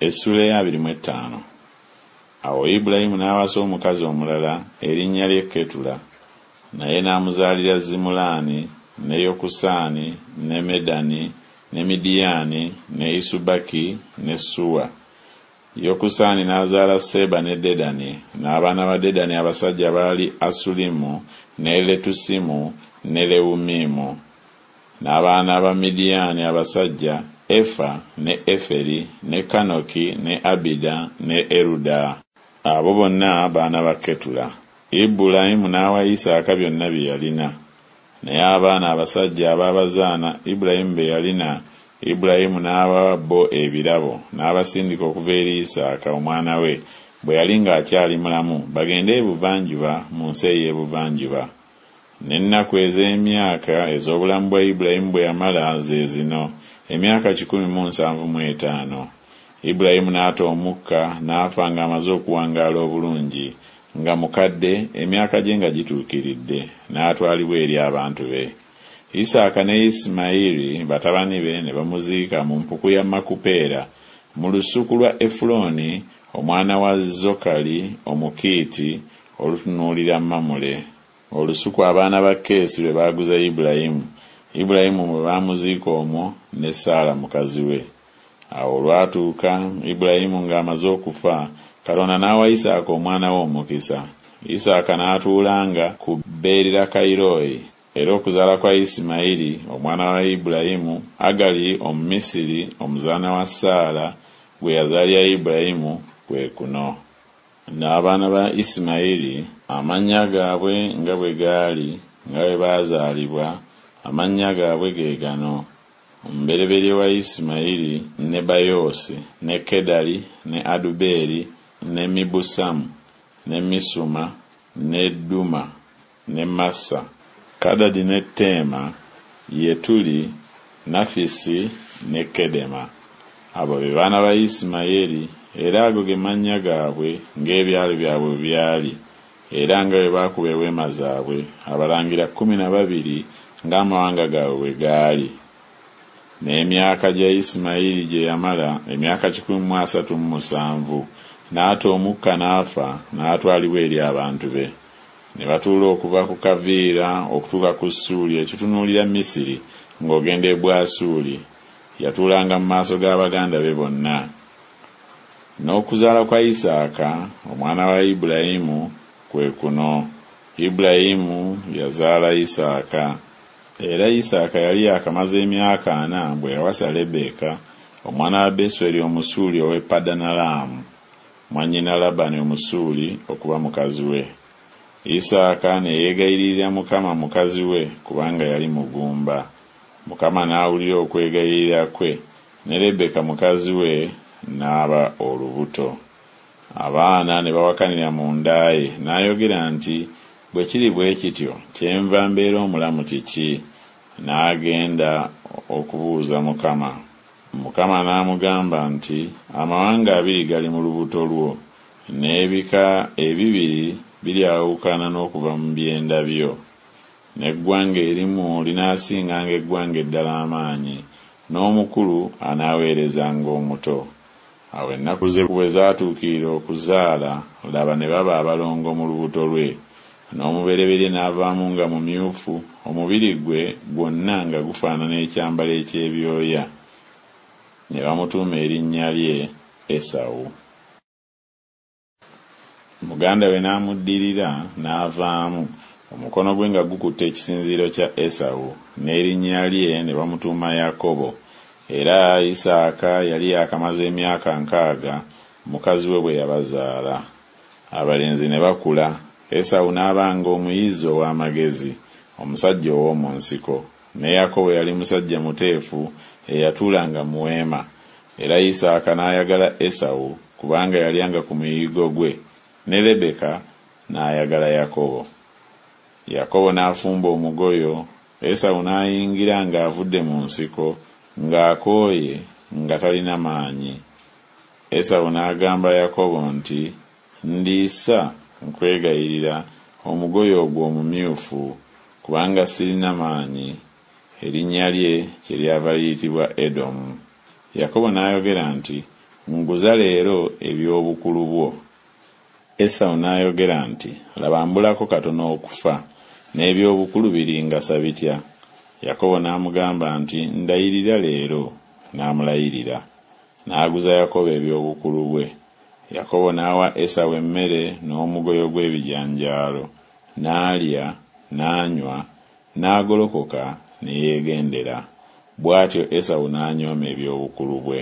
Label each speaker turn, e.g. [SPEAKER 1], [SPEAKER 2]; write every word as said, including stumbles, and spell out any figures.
[SPEAKER 1] Essuula ey'abiri mu ettaano. Awo Ibulayimu n'awasa omukazi omulala erinnya lye Ketula, naye n'amuzaalira Zimulaani, ne Yokusaani, ne Medani, ne Midiyaani, ne Isubaki ne Suwa. Yokusaani n'azaala Seeba ne Dedani, n'abaana ba Dedani abasajja baali Asulimu, ne Letusimu, ne Lewumimu. N'abaana ba Midiyaani abasajja, Efa, ne Eferi, ne Kanoki, ne Abida, ne Eruda. Abo bonna baana ba Ketula. Ibulayimu n'awa Isaaka byonna bye yalina. Naye abaana abasajja ab'abazaana Ibulayimu be yalina, Ibulayimu n'abawa bo ebirabo, n'abasindika okuva eri Isaaka omwana we, bwe yali ng'akyali mulamu, bagende ebuvanjuba mu nsi ey'ebuvanjuba. N'ennaku ez'emyaka ez'obulamu bwa Ibulayimu bwe yamala ze zino, emyaka kikumi mu nsanvu mu etaano. Ibulayimu n'ata omukka n'afa ng'amaze okuwangaala obulungi, nga mukadde, emyaka gye nga gituukiridde, n'atwalibwa eri abantu be. Isaaka ne Isimayiri batabani be ne bamuziika mu mpuku ya Makupeera, mu lusuku lwa Efulooni omwana wa Zokali Omukiiti, olutunuulira Mamule. Olusuku abaana ba Keesi lwe baaguza Ibulayimu, Ibulayimu mwe baamuziika omwo ne Saala mukazi we. Awo olwatuuka Ibulayimu ng'amaze okufa, Katonda n'awa Isaaka omwana we omukisa. Isaaka n'atuulanga ku Beerirakayirooyi. Era okuzaala kwa Isimayiri omwana wa Ibulayimu, Agali Omumisiri omuzaana wa Saala gwe yazaalira Ibulayimu kwe kuno. N'abaana ba Isimayiri amannya gaabwe nga bwe gaali nga bwe baazaalibwa, amannya gaabwe ge gano: omubereberye wa Isimayiri Nebayoosi, ne Kedali, ne Adubeeri, ne Mibusamu, ne Misuma, ne Duma, ne Massa, Kadadi ne Teema, Yetuli, Nafisi ne Kedema. Abo be baana ba Isimayiri, era ago ge mannya gaabwe ng'ebyalo byabwe bwe byali, era nga bwe baakuba eweema zaabwe, abalangira kkumi na babiri ng'amawanga gaabwe bwe gaali. N'emyaka gya Isimayiri gye yamala emyaka kikumi mu asatu mu musanvu, n'ata omukka n'afa, n'atwalibwa eri abantu be. Ne batuula okuva ku Kaviira okutuuka ku Ssuuli ekitunuulira Misiri, ng'ogenda e Bwasuuli. Yatuulanga mu maaso ga baganda be bonna. N'okuzaala kwa Isaaka omwana wa Ibulayimu kwe kuno: Ibulayimu yazaala Isaaka. Era Isaaka yali yaakamaze emyaka ana bwe yawasa Lebbeeka omwana wa Besweri Omusuuli ow'e Padanalaamu, mwannyina Labbaani Omusuuli, okuba mukazi we. Isaaka ne yeegayirira Mukama mukazi we kubanga yali mugumba. Mukama n'awulira okwegayirira kwe, ne Lebbeeka mukazi we n'aba olubuto. Abaana ne bawakanira mu nda ye, n'ayogera nti, Bwe kiri bwe kityo, kyenva mbeera omulamu kiki? N'agenda okubuuza Mukama. Mukama n'amugamba nti, Amawanga abiri gali mu lubuto lwo, n'ebika ebibiri biryawukana n'okuva mu byenda byo. N'eggwanga erimu linaasinganga eggwanga eddala amaanyi, n'omukulu anaaweerezanga omuto. Awo ennaku ze bwe zaatuukirira okuzaala, laba ne baba abalongo mu lubuto lwe. N'omubereberye n'avaamu nga mumyufu, omubiri gwe gwonna nga gufaanana ekyambalo eky'ebyoya. Ne bamutuuma erinnya lye Esawu. Muganda we n'amuddirira n'avaamu, omukono gwe nga gukutte ekisinziiro kya Esawu, n'erinnya lye ne bamutuuma Yakobo. Era Isaaka yali yaakamaze emyaka nkaaga mukazi we bwe yabazaala. Abalenzi ne bakula, Esawu n'abanga omuyizzi ow'amagezi, omusajja ow'omu nsiko, ne Yakobo yali musajja muteefu eyatuulanga mu weema. Era Isaaka n'ayagala Esawu, kubanga yalyanga ku muyiggo gwe, ne Lebeka n'ayagala Yakobo. Yakobo n'afumba omugoyo, Esawu n'ayingira ng'avudde mu nsiko, ng'akooye, nga talina maanyi. Esawu n'agamba Yakobo nti, Ndiisa, nkwegayirira, omugoyo ogwo omumyufu, kubanga sirina maanyi. Erinnya lye kyeryava liyitibwa Edomu. Yakobo n'ayogera nti, Nguza leero eby'obukulu bwo. Esawu n'ayogera nti Laba mbulako katono okufa, n'eby'obukulu biringasa bitya? Yakobo n'amugamba nti Ndayirira leero. N'amulayirira. N'aguza Yakobo eby'obukulu bwe. Yakobo n'awa Esawu emmere n'omugoyo gw'ebijanjaalo, n'alya, n'anywa, n'agolokoka ne yeegendera. Bw'atyo Esawu n'anyooma eby'obukulu bwe.